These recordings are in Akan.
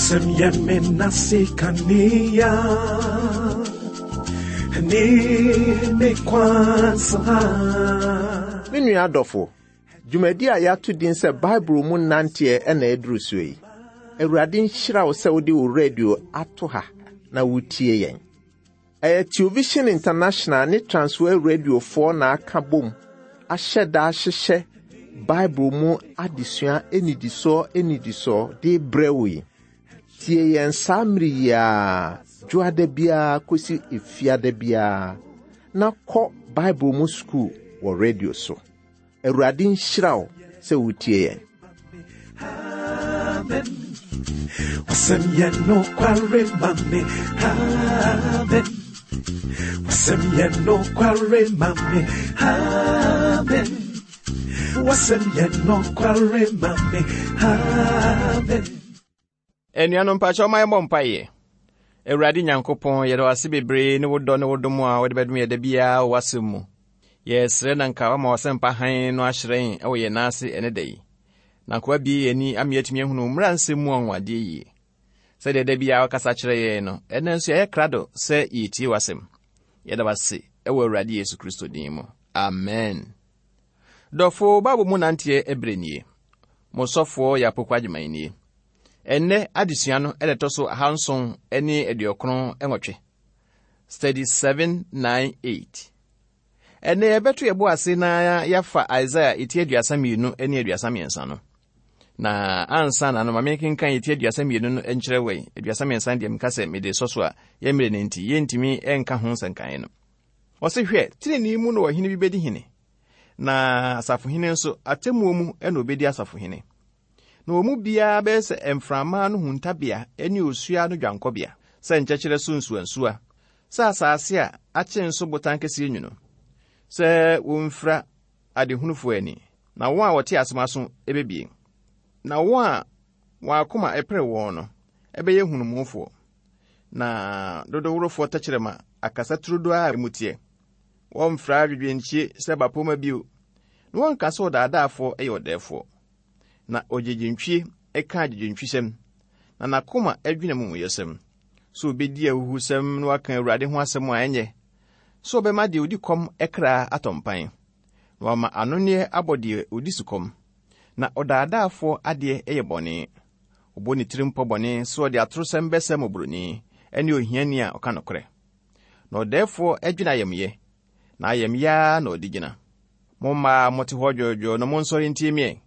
Wasɛm yɛ me nase kanea ne me kwan so ha. Me nua adɔfo, dwumadi a yɛato din sɛ Bible mu nanteɛ na aduru soɔ yi. Awurade nhyira wo sɛ wode wo radio ato ha na wotie yɛn. Ɛyɛ Television International ne Transworld Radiofoɔ na aka bom ahyɛ da ahyehyɛ Bible mu adesua nnidisoɔ nnidisoɔ de rebrɛ wo yi. Tie yɛn saa mmere yi ara, dwoada biara kɔsi efiada biara, na kɔ Bible mu sukuu wɔ radio so. Awurade nhyira wo sɛ wotie yɛn. Amen. Wasɛm yɛ nokware ma me. Amen. Wasɛm yɛ nokware ma me. Amen. Wasɛm yɛ nokware ma me. Amen. Anuanom mpakyɛw ma yɛmmɔ mpaeɛ. Awurade Nyankopɔn, yɛda wo ase bebree ne wo dɔ ne wo dom a wode bɛdom yɛ da biara wɔ w'asɛm mu. Yɛsrɛ na nka woama w'asɛmpa hann no ahyerɛn wɔ yɛn nan ase ɛne da yi. Na nka woabue yɛn ani ama yɛatumi ahunu wo mmara nsɛm mu anwanwadeɛ yie. Sɛdeɛ da biara wokasa kyerɛ yɛn no, ɛnnɛ nso yɛayɛ krado sɛ yɛretie w'asɛm. Yɛda wo ase wɔ Awurade Yesu Kristo din mu. Amen. Dɔfo, Bible mu nanteɛ ɛberɛ nie. Mo sɔfoɔ yɛ Apoku Agyeman nie. Ɛnnɛ adesua no na ɛtɔ so ahanson ne aduokron nwɔtwe. Study 798. Ɛnnɛ yɛbɛto yɛbo ase na yɛafa Isaiah eti 32 ne 33 no. Na ansa na no ma menkenkan eti 32 no nkyerɛ wɔ yi. 33 deɛ meka sɛ mede sɔ so a yɛmmerɛ no nti yɛntumi nka ho nsɛnkaeɛ no. Ɔse hwɛ, tenenee mu na ɔhene bi bɛdi hene, na asafohene nso atemmuo mu na ɔbɛdi asafohene. Na wɔn mu biara bɛyɛ sɛ mframa ano huntabea ne osuo ano dwankɔbea, sɛ nkyɛkyerɛ so nsuwansuwa, sɛ asase a akyen so botan kɛseɛ nwunu, sɛ wɔmfira adehunufoɔ ani, na wɔn a wɔte asɛm aso bɛbue, na wɔn a wɔn akoma pere wɔn no bɛyɛ hunumufoɔ, na dodoworofoɔ tɛkyerɛma akasa turodoo a emu teɛ. Wɔmfra adwedwenkyie sɛ bapɔmma bio, na wɔnka sɛ ɔdaadaafoɔ yɛ ɔdɛɛfoɔ. Na ogyegyentwie ka agyegyentwisɛm, na n'akoma dwene amumuyɛsɛm. Sɛ obedi ahuhusɛm na waka Awurade ho asɛm a ɛnyɛ, sɛ ɔbɛma deɛ odi kɔm kra atɔ mpan, na wama anonneɛ abɔ deɛ odi sukɔm. Na ɔdaadaafoɔ adeɛ yɛ bɔne. Ɔbɔ ne tirim pɔ bɔne sɛ ɔde atorosɛm bɛsɛe mmɔborɔni ne ohiani a ɔka nokorɛ. Na ɔdɛɛfoɔ dwene ayamyɛ, na ayamye ara na ɔde gyina. Mo mmaa a mote hɔ dwoodwoo no, monsɔre ntie me ɛ.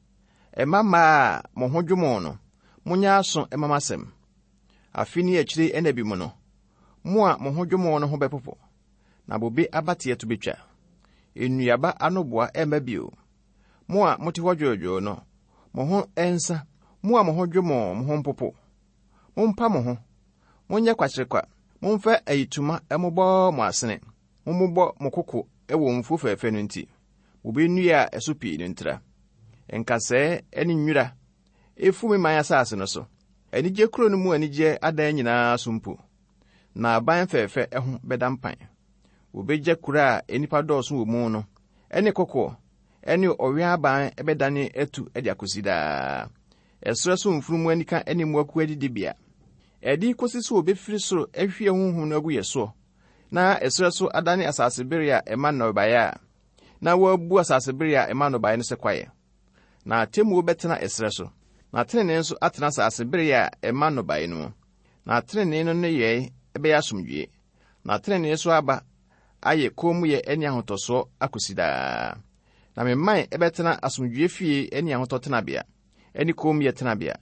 Mma mmaa a mo ho dwo mo no, monyɛ aso mma m'asɛm. Afe ne akyire nna bi mu no, mo a mo ho dwo mo no ho bɛpopo, na bobe abateɛ to betwa. Nnuaba anoboa remma bio. Mo a mote hɔ dwoodwoo no, mo ho nsa, mo a mo ho dwo mo, mo ho mpopo. Mompa mo ho, monyɛ kwakyerekwa, momfa ayitoma mmobɔ mo asene. Mommobɔ mo koko wɔ mfuo fɛfɛ no nti, bobe nnua a ɛso pii no ntira. Nkasɛɛ ne nwura efu me man asase no so, anigye kuro no mu anigyeɛ adan nyinaa so mpo, na aban fɛfɛ ho bɛda mpan. Wɔbɛgya kuro a nnipa dɔɔso wɔ mu no ne kokoɔ ne ɔwɛn aban bɛdane atu de akɔsi daa. Ɛserɛ so mfunumu anika ne mmoakuo adidibea. Ɛde kɔsi sɛ wɔbɛfiri soro ahwie honhom no agu yɛ soɔ na ɛserɛ so adane asasebere a ɛma nnɔbaeɛ a, na wɔabu asasebere a ɛma nnɔbaeɛ no sɛ kwaeɛ. Na atemmuo bɛtena ɛserɛ so, na tenenee nso atena asasebere a ɛma nnɔbaeɛ no mu. Na tenenee no nneyɛe bɛyɛ asomdwoeɛ, na tenenee so aba ayɛ kommyɛ ne ahotɔsoɔ akɔsi daa. Na me man bɛtena asomdwoeɛ fie ne ahotɔ tenabea, ne kommyɛ tenabea,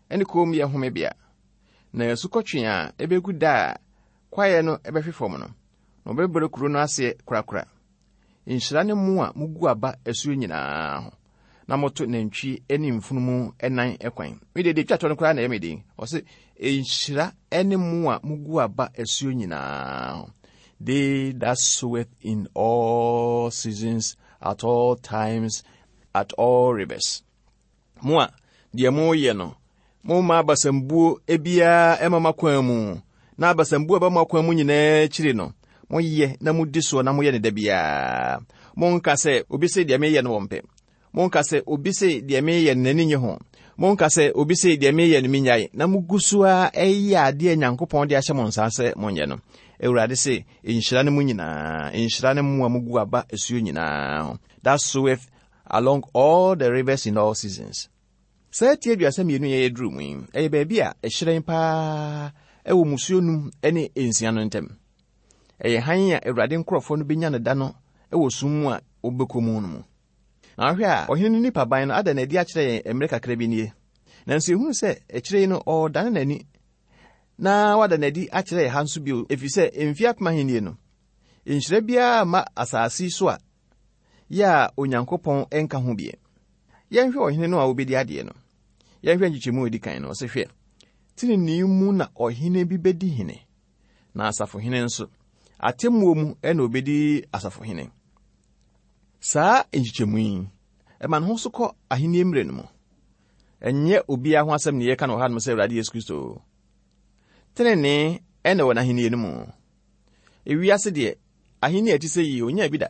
ne kommyɛ homebea. Na asukɔtweaa a ɛbɛgu da a Kwaeɛ no bɛhwe fam no, na wɔbɛbrɛ kuro no aseɛ korakora. Nhyira ne mo a mogu aba asuo nyinaa ho, na moto nantwie ne mfunumu nan kwan. Me deɛ, deɛ ɛtwa toɔ no koraa na ɛyɛ me den. Ɔse, nhyira ne mo a mogu aba asuo nyinaa ho. They that soweth in all seasons, at all times, at all rivers. Mo a deɛ moreyɛ no, momma abasambuo biara mma mo akwan mu, na abasambuo a ɛba mo akwan mu nyinaa akyiri no, moyɛ na modi soɔ na moyɛ no da biara. Monka sɛ, obi se deɛ meyɛ no wɔmpɛ. Monka sɛ, obi se deɛ meyɛ no n'ani nye ho. Monka sɛ obi se deɛ meyɛ no menyae, na mogu so ara ɛyɛ adeɛ a Nyankopɔn de ahyɛ mo nsa sɛ monyɛ no. Awurade se, nhyira ne mo nyinaa, nhyira ne mo a mogu aba asuo nyinaa ho. That soweth along all the rivers in all seasons. Saa ti 32 yɛ yɛduru mu yi, ɛyɛ baabi a ɛhyerɛn paa ɛwɔ musuo num ne nsia no ntam. Ɛyɛ hann a Awurade nkurɔfoɔ no bɛnya no da no wɔ sum mu a wɔbɛkɔ mu no mu. Na wohwɛ a, ɔhene no nipaban no ada no adi akyerɛ yɛn mmerɛ kakra bi nie. Nanso yɛhunu sɛ akyire yi no ɔredane n'ani na wada no adi akyerɛ yɛn ha nso bio, ɛfiri sɛ mfeɛ apem ahennie no, nhyira biara mma asase yi so a yɛ a Onyankopɔn nka ho bie. Yɛnhwɛ ɔhene no a ɔbɛdi adeɛ no. Yɛnhwɛ nkyekyɛmu a ɛdi kan no, ɔse hwɛ, tenenee mu na ɔhene bi bɛdi hene, na asafohene nso, atemmuo mu na ɔbɛdi asafohene. Saa nkyekyɛmu yi, ɛma ne ho so kɔ ahenni mmerɛ no mu. Ɛnyɛ obiara ho asɛm ne yɛka no wɔ hanom sɛ Awurade Yesu Kristo. Tenenee ɛna wɔ n'ahenni no mu. Ewiase deɛ, ahenni a ɛte sɛ yi, onyaa bi da.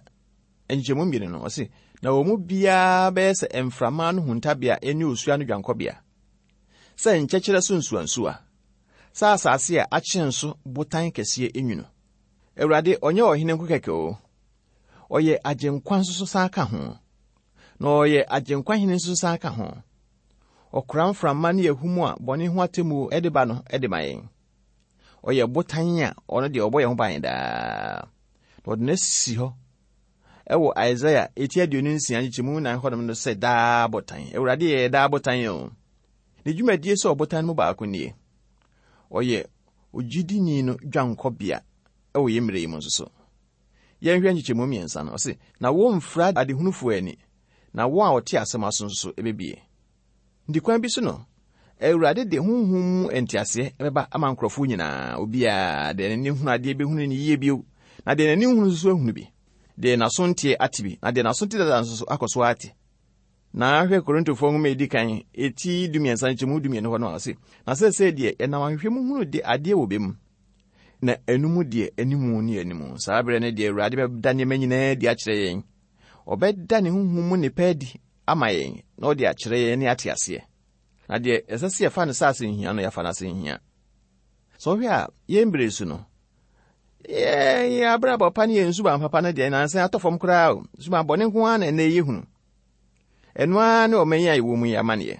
Nkyekyɛmu mmienu no, ɔse, na wɔn mu biara bɛyɛ sɛ mframa no huntabea ne osuo ano dwankɔbea, sɛ nkyɛkyerɛ so nsuansuwa, sɛ asase a akyen so botan kɛseɛ nwunu. Awurade, ɔnyɛ ɔhene nko kɛkɛ o, ɔyɛ agyenkwa nso so san ka ho. Na ɔyɛ agyenkwa hene nso san ka ho. Ɔkora mframa ne ahum a bɔne ho atemmuo de ba no de ma yɛn. Ɔyɛ botan a ɔno deɛ ɔbɔ yɛn ho ban daa. Na ɔde no asi hɔ ɛwɔ Isaiah eti 26 nkyekyɛmu 4 hɔnom no sɛ daa botan. Awurade yɛ daa botan o. Ne dwumadie sɛ ɔbotan no mu baako nie. Ɔyɛ ogyidini no dwankɔbea ɛwɔ yɛn mmerɛ yi mu nso so. Yɛnhwɛ nkyekyɛmu mmiɛnsa no, ɔse, Na wɔmfira adehunufoɔ ani, na wɔn a wɔte asɛm aso nso so ɛbɛbie. Nti kwan bi so no, Awurade de honhom mu nteaseɛ bɛba ama nkurɔfoɔ nyinaa, obiara, deɛ n'ani hunu adeɛ bɛhunu no yie bio, na deɛ n'ani nhunu nso so ahunu bi, deɛ n'aso nteɛ ate bi, na deɛ n'aso te dada nso so akɔ so ate. Na hwɛ Korintofoɔ nwoma a ɛdi kan, eti 13 nkyɛmu 12 hɔ no a, ɔse, Na seesei deɛ yɛnam ahwehwɛ mu hunu de adeɛ wɔ bɛ mu, na ɛno mu deɛ animu ne animu. Saa berɛ no deɛ Awurade bɛda nneɛma nyinaa adi akyerɛ yɛn. Ɔbɛda ne honhom mu nnepa adi ama yɛn na ɔde akyerɛ yɛn ne ate aseɛ. Na deɛ ɛsɛ sɛ yɛfa no sɛ asɛnhia no, yɛafa no asɛnhia. Sɛ wohwɛ a, yɛn berɛ su no, yɛn abrabɔ pa ne yɛn suban papa no deɛ nansa atɔ fam koraa o. Suban bɔne nko ara na ɛnɛ yɛhunu. Ɛno ara ne ɔman yi a yɛwɔ mu yi amanneɛ.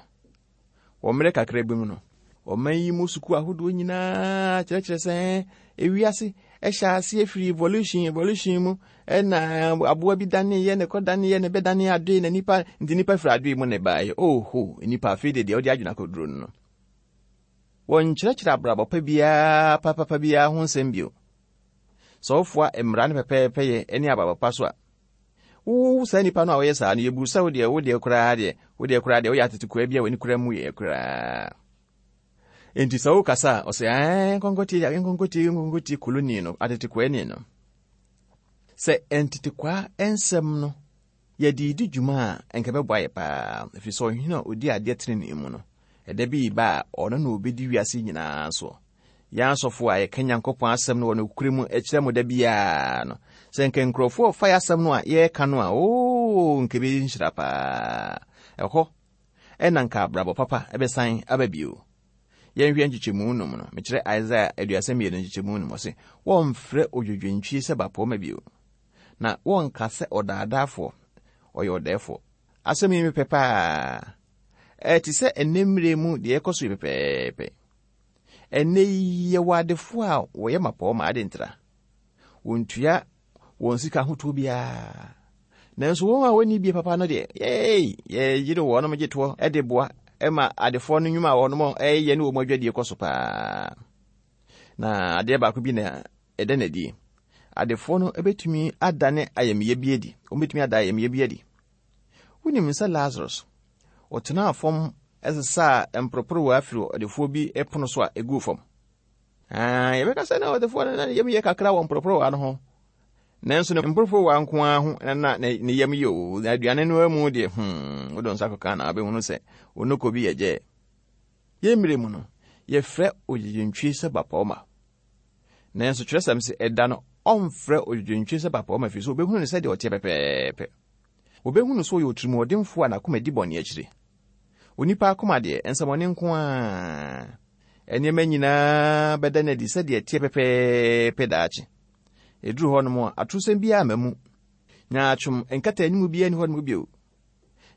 Wɔ mmerɛ kakra bi mu no, ɔman yi mu sukuu ahodoɔ nyinaa kyerɛkyerɛ sɛ ewiase ɛhyɛ aseɛ firi evolution evolution mu ɛna aboa bi daneeɛ na ɛkɔ daneeɛ na ɛbɛdane adoe na nipa nti nipa firi adoe mu na ɛbaeɛ. Oho, nipa afei deɛ deɛ ɔde adwene akɔduro no no. Wɔnkyerɛkyerɛ abrabɔ pa biara papapa biara ho nsɛm bio. Sɛ wofoa mmara no pɛpɛɛpɛyɛ ne abrabɔ pa so a, Wo saa nipa no a ɔyɛ saa no, yɛbu sɛ wo deɛ, wo deɛ koraa deɛ, wo deɛ koraa deɛ, woyɛ atetekoa bi a w'ani koraa mu yɛ koraa. Enti sɛ wokasa a, ɔsɛ ɛɛ nkɔnkɔtie, nkɔnkɔtie, nkɔnkɔtie koloni no, atetekoa ni no. Sɛ ntetekoa nsɛm no yɛde di dwuma a, nka ɛbɛboa yɛ paa, ɛfiri sɛ ɔhene a ɔdi adeɛ tenenee mu no, ɛda bi ba a ɔno na ɔbɛdi wiase nyinaa soɔ. Yɛn asɔfo a yɛka Nyankopɔn asɛm no wɔ nokorɛ mu kyerɛ mo da biara no, sɛ nka nkurɔfoɔ fa yɛ asɛm no a yɛreka no a, oo, nka ɛbɛyɛ nhyira paa. Ɛhɔ ɛna nka abrabɔ papa ɛbɛsan aba bio. Yɛnhwɛ nkyekyɛmu num no, mekyerɛ Isaiah 32 nkyekyɛmu num, ɔse, wɔmfrɛ odwodwontwie sɛ bapɔmma bio, na wɔnka sɛ ɔdaadaafoɔ, ɔyɛ ɔdɛɛfoɔ. Asɛm yi mepɛ paa. Ɛte sɛ ɛnnɛ mmerɛ mu deɛ ɛkɔ so yi pɛpɛɛpɛ. Ɛnnɛ yi yɛwɔ adefoɔ a wɔyɛ mmapɔmma ade ntra. Wɔntua wɔn sika ahotoɔ biara. Nanso wɔn a wɔnni bie papa no deɛ, yei, yɛyere wɔnom gye toɔ de boa ma adefoɔ no nnwuma a wɔnom ɛyɛ ne wɔn adwadie kɔ so paa. Na adeɛ baako bi na ɛda no adi. Adefoɔ no bɛtumi adane ayamyɛ bi adi. Wɔbɛtumi ada ayamyɛ bi adi. Wonim sɛ Lazarus, ɔtenaa fam sesaa mporoporowa firi ɔdefoɔ bi pono so a ɛguu fam. Yɛbɛka sɛ na ɔdefoɔ no na ne yam yɛ kakra wɔ mporoporowa no ho. Nanso ne mporoporowa nko ara ho na ne yam yɛ o. Na aduane no mu deɛ, wode nsa kɔka na wobɛhunu sɛ onoko bi yɛ gyɛɛ. Yɛn mmerɛ mu no, yɛfrɛ ogyegyentwie sɛ bapɔmma. Nanso twerɛsɛm se ɛda no ɔmfrɛ ogyegyentwie sɛ bapɔmma ɛfiri sɛ ɔbɛhunu no sɛdeɛ ɔteɛ pɛpɛɛpɛ. Wɔbɛhunu sɛ ɔyɛ otirimuɔdenfoɔ a n'akoma di bɔne akyire. Onipa akoma deɛ, nsɛmmɔne nko ara. Nneɛma nyinaa bɛda no adi sɛdeɛ ɛteɛ pɛpɛɛpɛ daakye. Ɛduru hɔnom a, atorosɛm biara mma mu. Nyaatwom nkataanim biara nni hɔnom bio.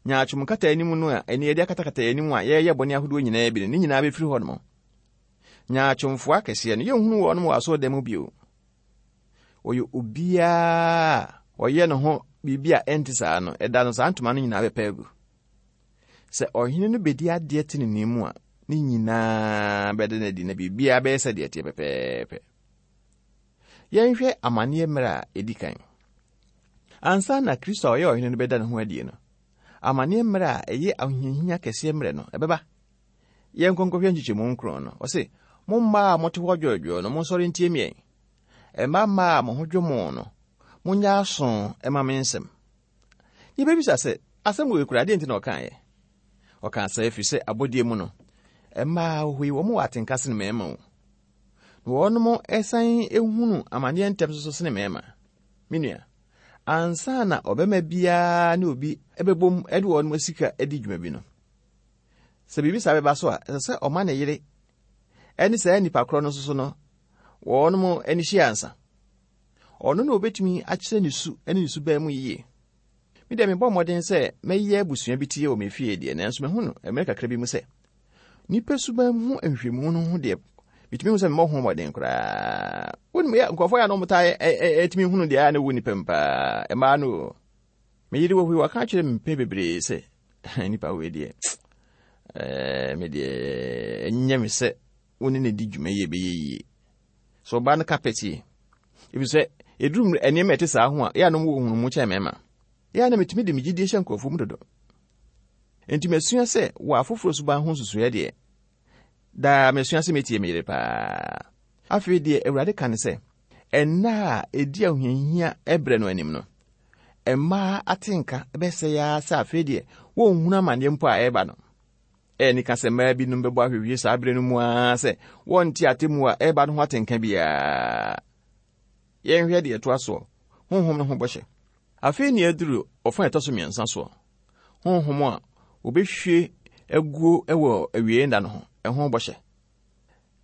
Nyaatwom nkataanim no a ɛne yɛde akatakata yɛn anim a yɛreyɛ bɔne ahodoɔ nyinaa bi no, ne nyinaa bɛfiri hɔnom. Nyaatwomfoɔ akɛseɛ no, yɛnhunu wɔnom wɔ asɔredan mu bio. Wɔyɛ obiara a ɔyɛ ne ho biribi a ɛnte saa no, ɛda no saa ntoma no nyinaa bɛpa agu. Sɛ ɔhene no bɛdi adeɛ tenenee mu a, ne nyinaa bɛda no adi na biribiara bɛyɛ sɛdeɛ ɛteɛ pɛpɛɛpɛ. Yɛnhwɛ amanneɛ mmerɛ a ɛdi kan. Ansa na Kristo a ɔyɛ ɔhene no bɛda ne ho adie no, amanneɛ mmerɛ a ɛyɛ ahohiahia kɛseɛ mmerɛ no, ɛbɛba. Yɛnkɔ nkɔhwɛ nkyekyɛmu nkron no. Ɔse, Mo mmaa a mote hɔ dwoodwoo no, monsɔre ntie me ɛ. Mma mmaa a mo ho dwo mo no, monyɛ aso mma me nsɛm. Yɛbɛbisa sɛ, asɛm wei koraa, deɛ nti na ɔkaeɛ? Ɔkaa saa ɛfiri sɛ abɔdeɛ mu no, mmaa wɔ hɔ yi, wɔn wɔ atenka sene mmarima o. Na wɔnom san hunu amaneɛ ntɛm nso sene mmarima. Me nua, ansa na ɔbɛma biara ne obi bɛbom de wɔn sika adi dwuma bi no, sɛ biribi saa bɛba so a, ɛsɛ sɛ ɔma ne yere ne saa nnipa korɔ no nso so no, wɔnom ani hyia ansa. Ɔno na obetumi akyerɛ ne su ne ne suban mu yiye. Me deɛ mebɔ mmɔden sɛ mɛyɛ abusua bi tie wɔ me fie deɛ, nanso mahu no mmerɛ kakra bi mu sɛ nnipa suban ho nhwehwɛmu no ho deɛ metumi hu sɛ memmɔ ho mmɔden koraa. Wonim yɛ nkurɔfoɔ yɛ a na wɔtaa ɛtumi hunu deɛ a na ɛwɔ nnipa mu paa, mmaa no o. Me yere wɔ hɔ yi, waka akyerɛ me mpɛn bebree sɛ nipa wei deɛ me deɛ ɛnyɛ me sɛ wo ne no di dwuma yi ɛbɛyɛ yie. So ɔbaa no ka pɛtie? Efisɛ ɛduru nneɛma ɛte saa ho a, yɛ a na wɔwɔ nhunumu kyɛn mmarima. Yɛ a na metumi de me gyidie hyɛ nkurɔfoɔ mu dodo. Enti masua sɛ wɔ afoforɔ suban ho nsusuiɛ deɛ, daa masua sɛ mɛtie me yere paa. Afei deɛ Awurade ka ne sɛ, ɛnna a ɛdi ahohiahia berɛ no anim no, mmaa atenka bɛsɛe ara sɛ afei deɛ wɔnhunu amanneɛ mpo a ɛreba no. Ɛyɛ anika sɛ mmaa binom bɛbɔ ahwehwie saa bere no mu ara sɛ wɔnte atemmu a ɛreba no ho atenka biara. Yɛnhwɛ deɛ ɛtoa soɔ, honhom no ho bɔhyɛ. Afei nea aduru ɔfã a ɛtɔ so mmiɛnsa soɔ, honhom a wɔbɛhwie aguo wɔ awiei nna no ho, ɛho bɔhyɛ.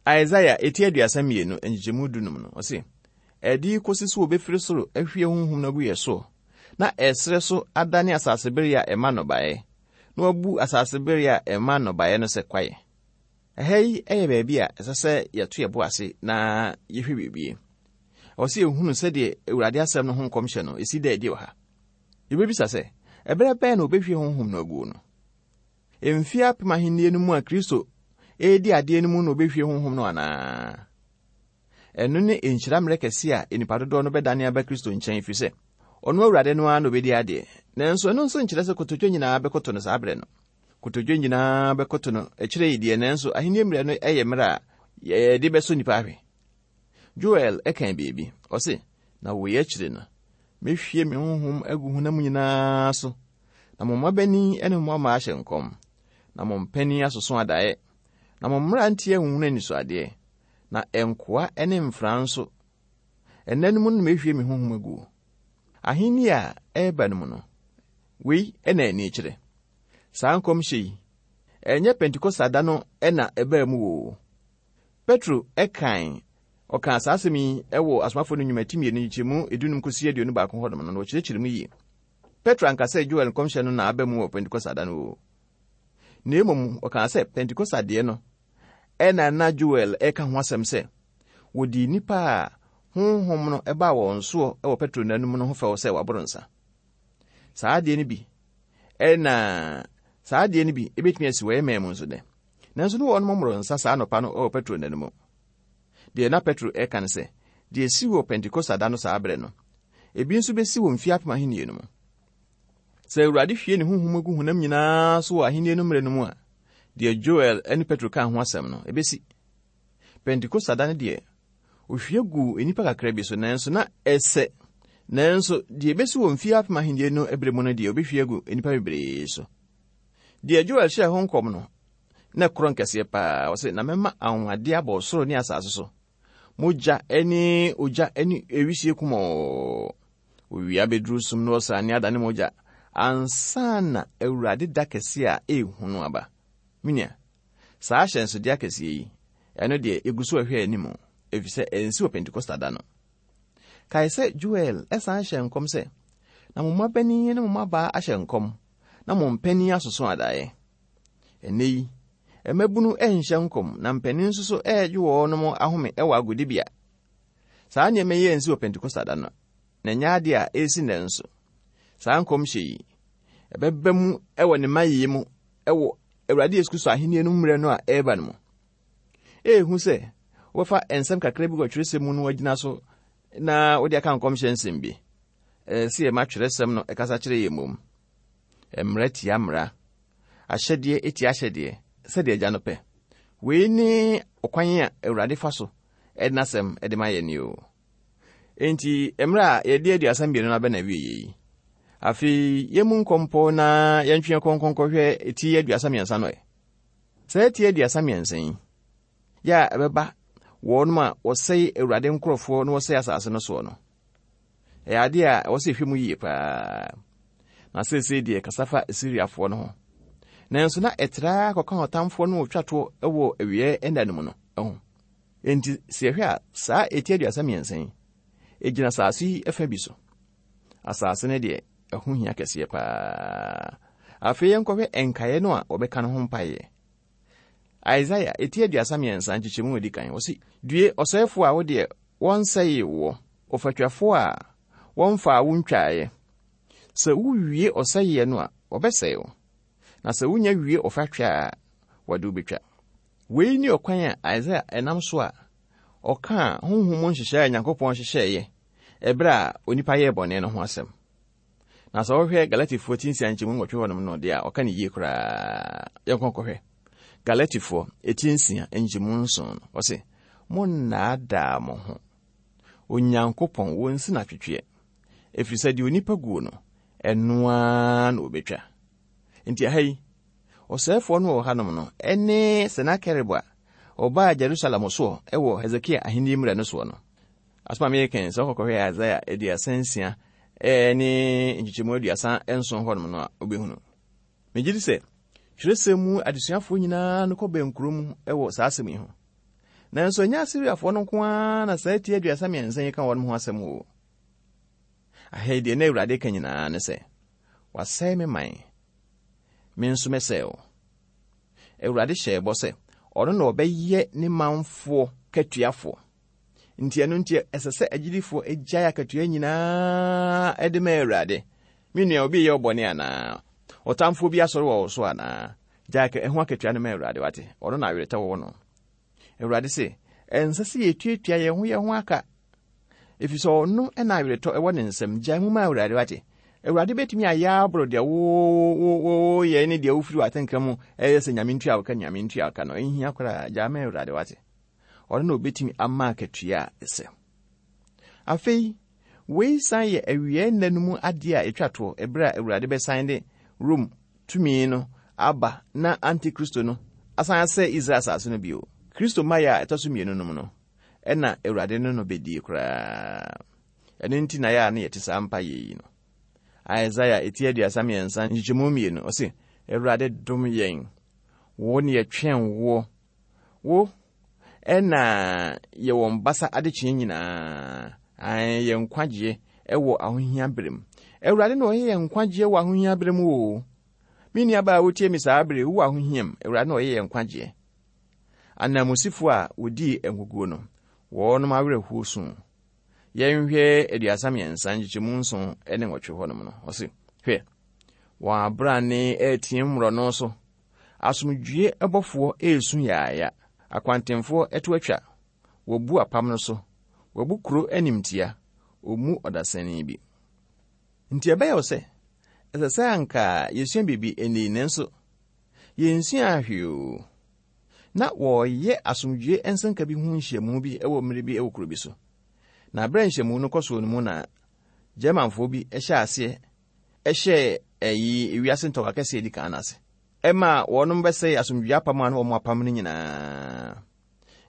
Isaia eti 32 nkyekyɛmu dunum no, ɔse, Ɛde kosi so wɔbɛfiri soro ahwie honhom no agu yɛ soɔ, na ɛserɛ so adane asasebere a ɛma nnɔbaeɛ, na wabu asase bere a ɛma nnɔbaeɛ no sɛ kwaeɛ. Ɛha yi yɛ baabi a ɛsɛ sɛ yɛto yɛn bo ase na yɛhwɛ biribi. Ɛwɔ sɛ yɛhunu sɛdeɛ Awurade asɛm no ho nkɔmhyɛ no ɛsi da adi wɔ ha. Yɛbɛbisa sɛ, ɛberɛ bɛn na wɔbɛhwie honhom no aguo no? Mfeɛ apem ahennie no mu a Kristo redi adeɛ no mu na wɔbɛhwie honhom no anaa? Ɛno ne nhyira mmerɛ kɛseɛ a nnipa dodoɔ no bɛdane aba Kristo nkyɛn ɛfiri sɛ ɔno Awurade no ara na ɔbɛdi adeɛ. Nanso ɛno nso nkyerɛ sɛ kotodwe nyinaa bɛkoto no saa berɛ no. Kotodwe nyinaa bɛkoto no akyire yi deɛ, nanso ahennie mmerɛ no yɛ mmerɛ a yɛde bɛsɔ nnipa ahwɛ. Joel kan biribi, ɔse, Na wei akyire no, mɛhwie me honhom agu honam nyinaa so, na mo mmabanin ne mo mmammaa ahyɛ nkɔm, na mo mpanin asoso adaeɛ, na mo mmeranteɛ ahunhunu anisoadeɛ, na nkoa ne mfra nso. Nna no mu no mehwie me honhom agu. Ahenni a ɛreba no mu no, wei na ani kyerɛ. Saa nkɔmhyɛ yi, ɛnyɛ Pentekosta da no na ɛbaa mu o. Petro kan ɔkaa saa asɛm yi wɔ Asomafo no Nnwuma ti mmienu nkyekyɛmu dunum kosi 21 hɔnom no, na ɔkyerɛkyerɛ mu yie. Petro anka sɛ Joel nkɔmhyɛ no na aba mu wɔ Pentekosta da no o. Na mmom ɔkaa sɛ Pentekosta deɛ no Ɛnna na Joel reka ho asɛm sɛ, wɔdii nnipa a honhom no baa wɔn soɔ wɔ Petro nna no mu no ho fɛw sɛ wɔaboro nsa. Saa adeɛ no bi ɛna saa adeɛ no bi ebetumi asi wɔ yɛn man mu nso dɛ. Nanso ne wɔn mmoro nsa saa anɔpa no wɔ Petro nna no mu. Deɛ na Petro reka ne sɛ, deɛ esi wɔ Pentekosta da no saa berɛ no, ebi nso besi wɔ mfeɛ apem ahennie no mu. Sɛ Awurade hwie ne honhom gu honam nyinaa so wɔ Ahenni no mmerɛ no mu a, deɛ Joel ne Petro kaa ho asɛm no, ɛbɛsi. Pentekosta da no deɛ, ohwie guu nnipa kakra bi so, nanso na ɛsɛ. Nanso deɛ ɛbɛsi wɔ mfeɛ apem ahenni no berɛ mu no deɛ, obɛhwie agu nnipa bebree so. Deɛ Joel hyɛɛ ho nkɔm no, na ɛkorɔn kɛseɛ paa. Ɔse, na mɛma anwanwadeɛ abɔ ɔsoro ne asase so. Mogya ne ogya ne ewisie kumɔɔ. Owia bɛduru sum na ɔsrane adane mogya ansa na Awurade da kɛse a ɛyɛ hu no aba. Me nua, saa ahyɛnsodeɛ akɛseɛ yi, ɛno deɛ yɛgu so rehwɛ anim, ɛfiri sɛ ɛnsi wɔ Pentekosta da no. Kae sɛ Joel san hyɛɛ nkɔm sɛ, Na mo mmabanin ne mo mmabaa ahyɛ nkɔm, na mo mpanin asoso adaeɛ. Ɛnnɛ yi, mmabunu nhyɛ nkɔm, na mpanin nso so regye wɔn ahome wɔ agodibea. Saa nneɛma yi ansi wɔ Pentekosta da no, na ɛnyɛ adeɛ a ɛresi nnɛ nso. Saa nkɔmhyɛ yi, ɛbɛba mu wɔ ne mayeyɛ mu wɔ Awurade Yesu Kristo ahenni no mmerɛ no a ɛreba no mu. Ɛyɛ hu sɛ wobɛfa nsɛm kakra bi wɔ twerɛsɛm mu no agyina so na wode aka nkɔmhyɛ nsɛm bi. Ɛsɛ sɛ yɛma twerɛsɛm no ɛkasa kyerɛ yɛn mmom. Mmara tia mmara, ahyɛdeɛ tia ahyɛdeɛ, sɛdeɛ Agya no pɛ. Wei ne ɔkwan a Awurade fa so de n'asɛm de ma yɛn o. Enti, mmerɛ a yɛde 32 no abɛ na awieɛ yi, afei yɛmu nkɔmpɔ na yɛntwe yɛn kɔnkɔn kɔhwɛ ti 33 no ɛ. Saa ti 33 yi, yɛ a ɛbɛba wɔnom a wɔsɛe Awurade nkurɔfoɔ na wɔsɛe asase no soɔ no, ɛyɛ adeɛ a ɛwɔ sɛ yɛhwɛ mu yie paa. Na seesei deɛ kasa fa Asiriafoɔ no ho. Nanso na ɛtraa kɔka ɔtamfoɔ no wɔtwa toɔ wɔ awieɛ nna no mu no ho. Enti sɛ yɛhwɛ a, saa eti 33 yi, egyina asase yi fa bi so. Asase no deɛ, ɛho hia kɛseɛ paa. Afei yɛnkɔhwɛ nkaeɛ no a wɔbɛka no ho mpaeɛ. Isaiah eti 33 nkyekyɛmu a ɛdi kan, ɔse, Due ɔsɛefoɔ a wo deɛ wɔnsɛee woɔ, ɔfatwafoɔ a wɔmfaa wo ntwaeɛ. Sɛ wowie ɔsɛeɛ no a, wɔbɛsɛe wo, na sɛ wonya wie ɔfatwa a, wɔde wo bɛtwa. Wei ne ɔkwan a Isaiah nam so a ɔkaa honhom mu nhyehyɛe a Nyankopɔn hyehyɛeɛ ɛberɛ a onipa yɛɛ bɔne no ho asɛm. Na sɛ wohwɛ Galatifoɔ ti nsia nkyɛmu nwɔtwe hɔnom no deɛ a, ɔka no yie koraa. Yɛnkɔ nkɔhwɛ. Galatifoɔ ti nsia nkyɛmu nson no, ɔse, Monnaadaa mo ho. Onyankopɔn, wɔnsi no atwetweɛ. Ɛfiri sɛ deɛ onipa guo no, ɛno ara na ɔbɛtwa. Nti ɛha yi, ɔsɛefoɔ no wɔ hanom no ne Senakerib a ɔbaa Jerusalem soɔ wɔ Hesekia ahenni mmerɛ no soɔ no. Asɛm a mereka yi, sɛ wokɔkɔhwɛ Isaiah 36 ne nkyekyɛmu 37 hɔnom no a, wobɛhunu. Megye di sɛ twerɛsɛm mu adesuafoɔ nyinaa no kɔ bɛnkuro mu wɔ saa asɛm yi ho. Nanso ɛnyɛ Asiriafoɔ no nko ara na saa ti 33 yi ka wɔn ho asɛm o. Aha yi deɛ na Awurade ka nyinaa ne sɛ, Wasɛe me man, me nso mɛsɛe wo. Awurade hyɛɛ bɔ sɛ ɔno na ɔbɛyɛ ne manfoɔ katuafoɔ. Nti ɛno nti ɛsɛ sɛ agyidifoɔ gyae akatua nyinaa de ma Awurade. Me nua, obi reyɛ wo bɔne anaa? Ɔtamfoɔ bi asɔre wɔ wo so anaa? Gyae ɛho akatua no ma Awurade, wate? Ɔno na aweretɔ wɔ no. Awurade se, ɛnsɛ sɛ yɛtuatua yɛn ho yɛn ho aka, ɛfiri sɛ ɔno na aweretɔ ɛwɔ ne nsam. Gyae mu ma Awurade, wate? Awurade bɛtumi ayɛ aboro deɛ woyɛ ne deɛ wofiri w'atenka mu ɛyɛ sɛ Nyame ntua wo ka, Nyame ntua wo ka no, ɛnhia koraa. Gyae ma Awurade, wate? Ɔno na ɔbɛtumi ama akatua a ɛsɛ. Afei, wei san yɛ awieɛ nna no mu adeɛ a ɛtwa toɔ, ɛberɛ a Awurade bɛsan de Rome tumi no aba na Antikristo no asan asɛe Israel asase no bio. Kristo mmaeɛ a ɛtɔ so mmienu no mu no, ɛna Awurade ne no bɛdie koraa. Ɛno nti na yɛ a na yɛte saa mpaeɛ yi no. Isaiah eti 33 nkyekyɛmu mmienu, ɔse, Awurade dom yɛn, wo ne yɛtwɛn woɔ, wo na yɛ wɔn basa adekyeɛ nyinaa, ae, yɛn nkwagyeɛ wɔ ahohia berɛ mu. Awurade na ɔyɛ yɛn nkwagyeɛ wɔ ahohia berɛ mu o. Me nuabaa a wotie me saa berɛ, wowɔ ahohia mu, Awurade na ɔyɛ yɛn nkwagyeɛ. Ananmusifo a wɔdii nkoguo no, wɔnom awerɛhoɔ su. Yɛnhwɛ 33 nkyekyɛmu nson ne nwɔtwe hɔnom no, ɔse, hwɛ, wɔn abrane reteam mmorɔno so, Asomdwoeɛ bɔfoɔ resu yaaya. Akwantemfoɔ to atwa. Wɔbu apam no so. Wɔabu kuro animtia. Wɔmmu ɔdasani bi. Nti ɛbɛyɛ wo sɛ, ɛsɛ sɛ anka yɛsua biribi ɛnnɛ yi, nanso yɛnsuaa hwee oo. Na wɔreyɛ asomdwoeɛ nsɛnka bi ho nhyiamu bi wɔ mmerɛ bi wɔ kuro bi so. Na berɛ a nhyiamu no kɔ soɔ no mu na Germanfoɔ bi hyɛɛ aseɛ hyɛɛ ɛyi wiase ntɔkwa kɛseɛ edi kan no ase. Ɛmaa wɔnom bɛsɛe asomdwoeɛ apam a na wɔn apam no nyinaa.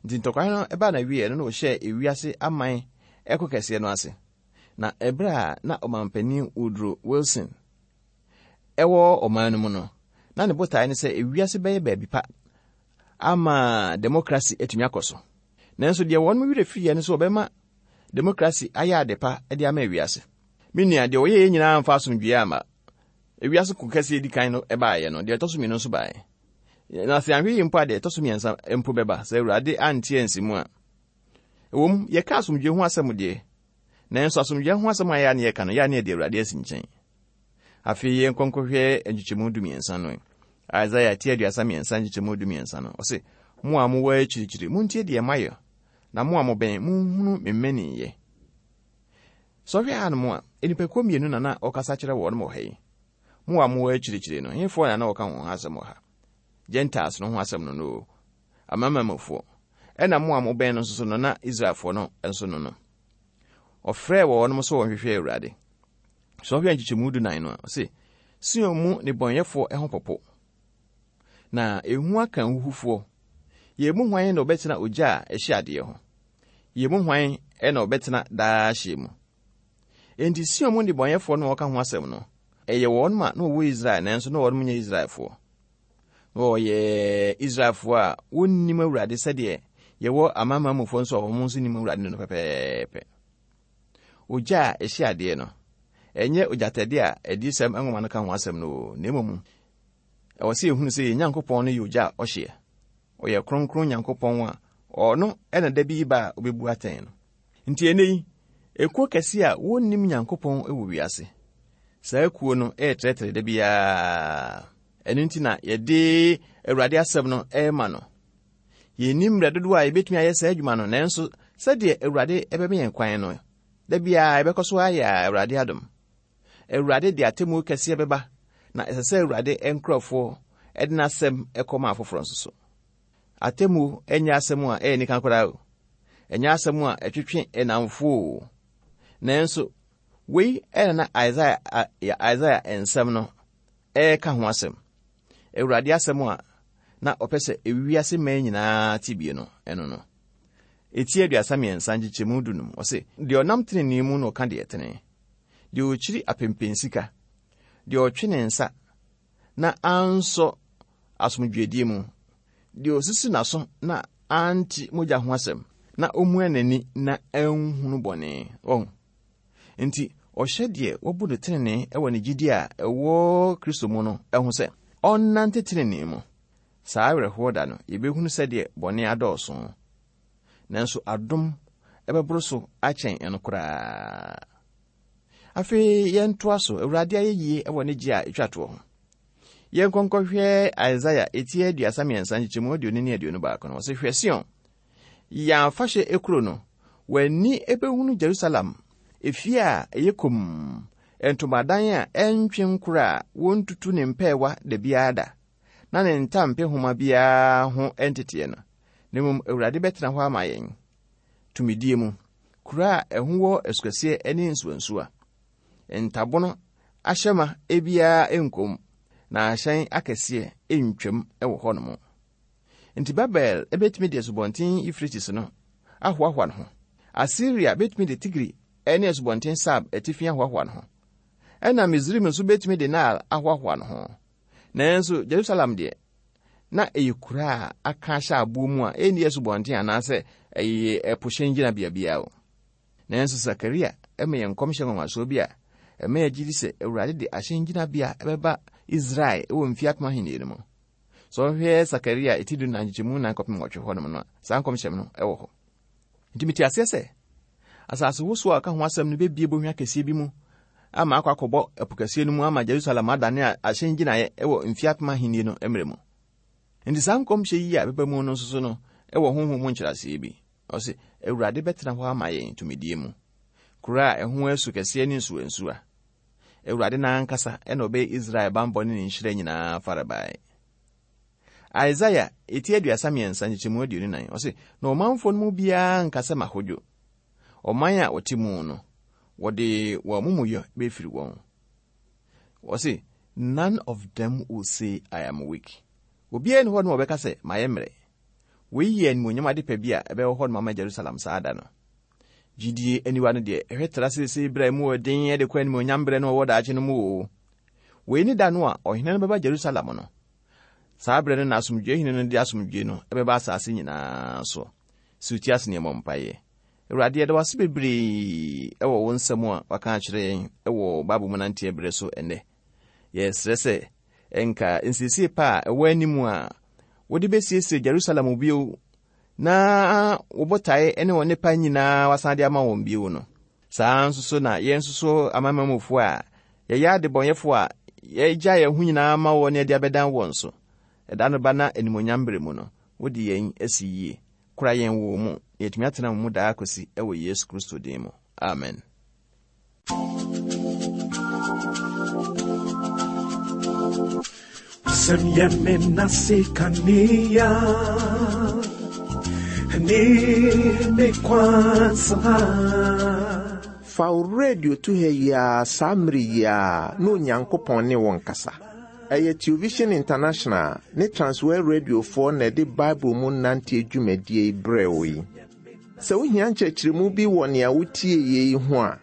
Nti ntɔkwa no ɛbaa na wieɛ no na wɔhyɛɛ ewiase aman ɛko kɛseɛ no ase. Na ɛberɛ a na ɔmanpanin Woodrow Wilson ɛwɔ ɔman no mu no, Na ne botae ne sɛ ewiase bɛyɛ baabi pa ama demokrasi atumi akɔ so. Nanso deɛ wɔn werɛ firiiɛ ne sɛ wɔbɛma demokrasi ayɛ ade pa de ama ewiase. Me nua, deɛ wɔyɛeɛ nyinaa amfa asomdwoeɛ amma. Ewiase ko kɛseɛ edi kan no baeɛ no, deɛ ɛtɔ so mmienu nso baeɛ. Na sɛ anhwɛ yie mpo a, deɛ ɛtɔ so mmiɛnsa mpo bɛba, sɛ Awurade ante ansi mu a. Ɛwom, yɛka asomdwoeɛ ho asɛm deɛ, nanso asomdwoeɛ ho asɛm a yɛ a ne yɛka no, yɛ a ne yɛde Awurade asi nkyɛn. Afei yɛnkɔ nkɔhwɛ nkyekyɛmu dumiɛnsa no. Isaiah ti 33 nkyekyɛmu dumiɛnsa no, ɔse, Mo a mowɔ akyirikyiri, montie deɛ mayɛ, na mo a mobɛn, monhunu me mmaninyɛ. Sɛ ɔhwɛ hanom a, nnipakuo mmienu na na ɔkasa kyerɛ wɔn wɔ ha yi. Mo a mowɔ akyirikyiri no, hefoɔ na na ɔka wɔn ho asɛm wɔ ha? Gentiles no ho asɛm no no o, amanamanmufoɔ. Ɛna mo a mobɛn no nso so no, na Israelfoɔ no nso no no. Ɔfrɛɛ wɔn sɛ wɔnhwehwɛ Awurade. Sɛ ɔhwɛ nkyekyɛmu dunan no a, ɔse, Sion mu nnebɔneyɛfoɔ ho popo, na ehu aka ahuhufoɔ. Yɛn mu hwan na ɔbɛtena ogya a ɛhye adeɛ ho? Yɛn mu hwan na ɔbɛtena daa hyeɛ mu? Enti Sion mu nnebɔneyɛfoɔ no a ɔka ho asɛm no, ɛyɛ wɔn ma na wɔwɔ Israel nanso na wɔn nyɛ Israelfoɔ. Na wɔyɛ Israelfoɔ a wɔnnim Awurade sɛdeɛ yɛwɔ amanaman mufoɔ nso a wɔn nso nim Awurade no pɛpɛɛpɛ. Ogya a ɛhye adeɛ no, ɛnyɛ ogyatɛdeɛ a Adiyisɛm nwoma no ka ho asɛm no o, na mmom ɛwɔ sɛ yɛhunu sɛ yɛn Nyankopɔn no yɛ ogya a ɔhyeɛ. Ɔyɛ kronkron Nyankopɔn a ɔno na da bi ba a ɔbɛbu atɛn no. Nti ɛnnɛ yi, ekuo kɛse a wɔnnim Nyankopɔn wɔ wiase. Saa kuo no retrɛtrɛ da biara. Ɛno nti na yɛde Awurade asɛm no rema no. Yɛnnim mmerɛ dodoɔ a yɛbɛtumi ayɛ saa adwuma no, nanso sɛdeɛ Awurade bɛma yɛn kwan no, da biara yɛbɛkɔ so ayɛ a Awurade adom. Awurade de atemmuo kɛseɛ bɛba, na ɛsɛ sɛ Awurade nkurɔfoɔ de n'asɛm kɔma afoforɔ nso so. Atemmuo nyɛ asɛm a ɛyɛ nika koraa o. Ɛnyɛ asɛm a ɛtwetwe nnamfoɔ o. Nanso, wei na na Isaiah, Isaiah nsɛm no ɛreka ho asɛm. Awurade asɛm a na ɔpɛ sɛ ewiase mmaa nyinaa te bie no, ɛno no. Eti 33 nkyekyɛmu 15, ɔse, Deɛ ɔnam tenenee mu na ɔka deɛ ɛtene, deɛ ɔkyiri apempensika, deɛ ɔtwe ne nsa na ansɔ asomdwoedie mu, deɛ ɔsisi n'aso na ante mogya ho asɛm, na ɔmua n'ani na anhunu bɔne. Wɔn. Enti ɔhyɛ deɛ wabu no tenenee wɔ ne gyidie a ɛwɔ Kristo mu no ho sɛ ɔnnante tenenee mu. Saa awerɛhoɔ da no, yɛbɛhunu sɛdeɛ bɔne adɔɔso. Nanso adom bɛboro so akyɛn ɛno koraa. Afei yɛntoa so, Awurade ayɛyie wɔ ne gye a ɛtwa toɔ ho. Yɛnkɔ nkɔhwɛ Isaiah eti 33 nkyekyɛmu 20 ne 21 no. Ɔse, Hwɛ Sion, Yɛn afahyɛ ekuro no, w'ani bɛhunu Jerusalem, efie a ɛyɛ komm, ntomadan a ɛntwe nkora a wɔntutu ne mpɛɛwa da biara da, na ne ntampehoma biara ho nteteɛ no. Na mmom Awurade bɛtena hɔ ama yɛn, tumidie mu, kuro a ɛho wɔ asukɛseɛ ne nsuwansuwa. Ntabono ahyɛma biara nkɔ mu, na ahyɛn akɛseɛ ntwam wɔ hɔnom. Enti Babel betumi de Asubɔnten Eufrates no ahoahoa ne ho. Asiria betumi de Tigri ne Asubɔnten Sab atifi ahoahoa ne ho. Ɛnna Misraim nso betumi de Nile ahoahoa ne ho. Nanso Jerusalem deɛ, na ɛyɛ kuro a aka ahyɛ aboɔ mu a ɛnni asubɔnten anaasɛ ɛyɛ ɛpo hyɛn gyinabea biara o. Nanso Sakaria ma yɛn nkɔmhyɛ nwanwasoɔ bi a ɛma yɛgye di sɛ Awurade de ahyɛn gyinabea bɛba Israel wɔ mfeɛ apem ahennie no mu. Sɛ ɔhwɛ Sakaria eti 14 nkyekyɛmu 4 kɔpem 8 hɔnom no a, saa nkɔmhyɛm no wɔ hɔ. Nti mete aseɛ sɛ asase wosow a ɔka ho asɛm no bɛbie bohwa kɛseɛ bi mu ama akɔ akɔbɔ ɛpo kɛseɛ no mu ama Jerusalem adane ahyɛn gyinaeɛ wɔ mfeɛ apem ahennie no mmerɛ mu. Nti saa nkɔmhyɛ yi a ɛbɛba mu no nso so no wɔ honhom mu nkyerɛaseɛ bi. Ɔse, Awurade bɛtena hɔ ama yɛn tumidie mu, kuro a ɛho asu kɛseɛ ne nsuwansuwa. Awurade no ankasa na ɔbɛyɛ Israel bammɔ ne ne nhyira nyinaa farebae. Isaiah eti 33 nkyekyɛmu 24, ɔse, Na ɔmanfoɔ no mu biara nka sɛ mahodwo. Ɔman a wɔte mu no, wɔde wɔn amumuyɔ bɛfiri wɔn. Ɔse, None of them will say I am weak. Obiara nni hɔ nom a ɔbɛka sɛ mayɛ mmerɛ. Wei yɛ animuonyam adepa bi a ɛbɛwɔ hɔ nom ama Jerusalem saa da no. Gyidie aniwa no deɛ, ɛhwɛ tra seesei berɛ a emu wɔ den de kɔ animuonyam berɛ no a ɛwɔ daakye no mu oo. Wei ne da no a ɔhene no bɛba Jerusalem no. Saa berɛ no na asomdwoeɛ hene no de asomdwoeɛ no bɛba asase nyinaa so. Si wo ti ase na yɛmmɔ mpaeɛ. Awurade, yɛda wo ase bebree wɔ wo nsɛm a waka akyerɛ yɛn wɔ Bible mu nanteɛ berɛ so ɛnnɛ. Yɛsrɛ sɛ nka nsiesie pa a ɛwɔ anim a wode bɛsiesie Jerusalem bio na wo botae ne wɔn nnepa nyinaa wasan de ama wɔn bio no. Saa nso so na yɛn nso so amanamanmufoɔ a yɛyɛ adebɔnyɛfoɔ a yɛgya yɛn ho nyinaa ma wɔ ne yɛde abɛdan wɔn so. Ɛda no ba na animuonyam berɛ mu no, wode yɛn asi yie. Kora yɛn wɔ wo mu, na yɛatumi atena wo mu daa kɔsi wɔ Yesu Kristo din mu. Amen. Wasɛm yɛ me nase kanea ne me kwansa. Fa wo radio to ha yi ara saa mmere yi ara na Onyankopɔn ne wo nkasa. Ɛyɛ Television International ne Transworld Radiofoɔ na ɛde Bible mu nanteɛ dwumadie yi brɛɛ wo yi. Sɛ wohia nkyerɛkyerɛmu bi wɔ nea wotieeɛ yi ho a,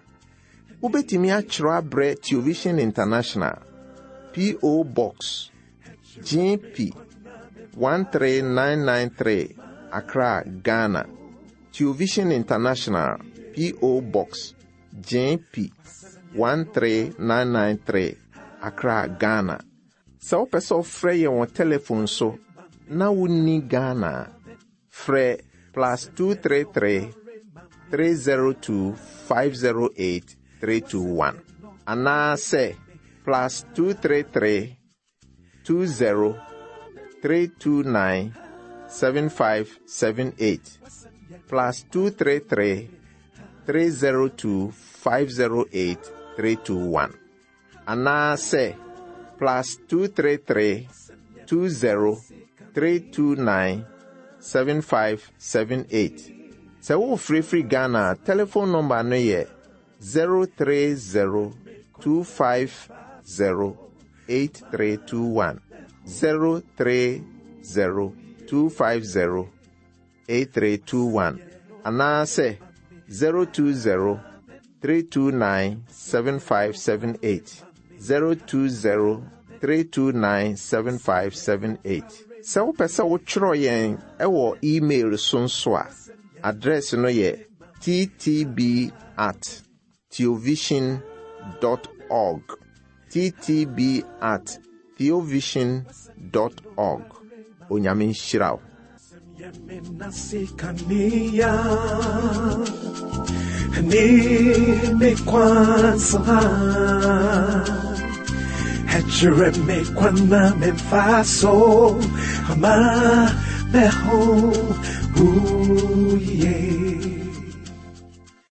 wobɛtumi atwerɛ abrɛ Television International, P.O. Box, GP 13993, Accra, Ghana. Television International, P.O. Box, GP 13993, Accra, Ghana. Sɛ wopɛ sɛ wofrɛ yɛn wɔ telefon so na wonni Ghana a, frɛ plus 233 302 508 321 anaasɛ plus 233 20 329 7578 plus 233 302 508 321 anaasɛ plus 233 20 329 7578. Sɛ worefrɛfiri Ghana a, telefon nɔmba no yɛ 030 250 8321. 030 250 8321 anaasɛ 020 329 7578 020 329 7578. Sɛ wopɛ sɛ wotwerɛ yɛn wɔ email so nso a, address no yɛ ttb at theovision dot org ttb at theovision dot org Onyame nhyira wo. Yeah.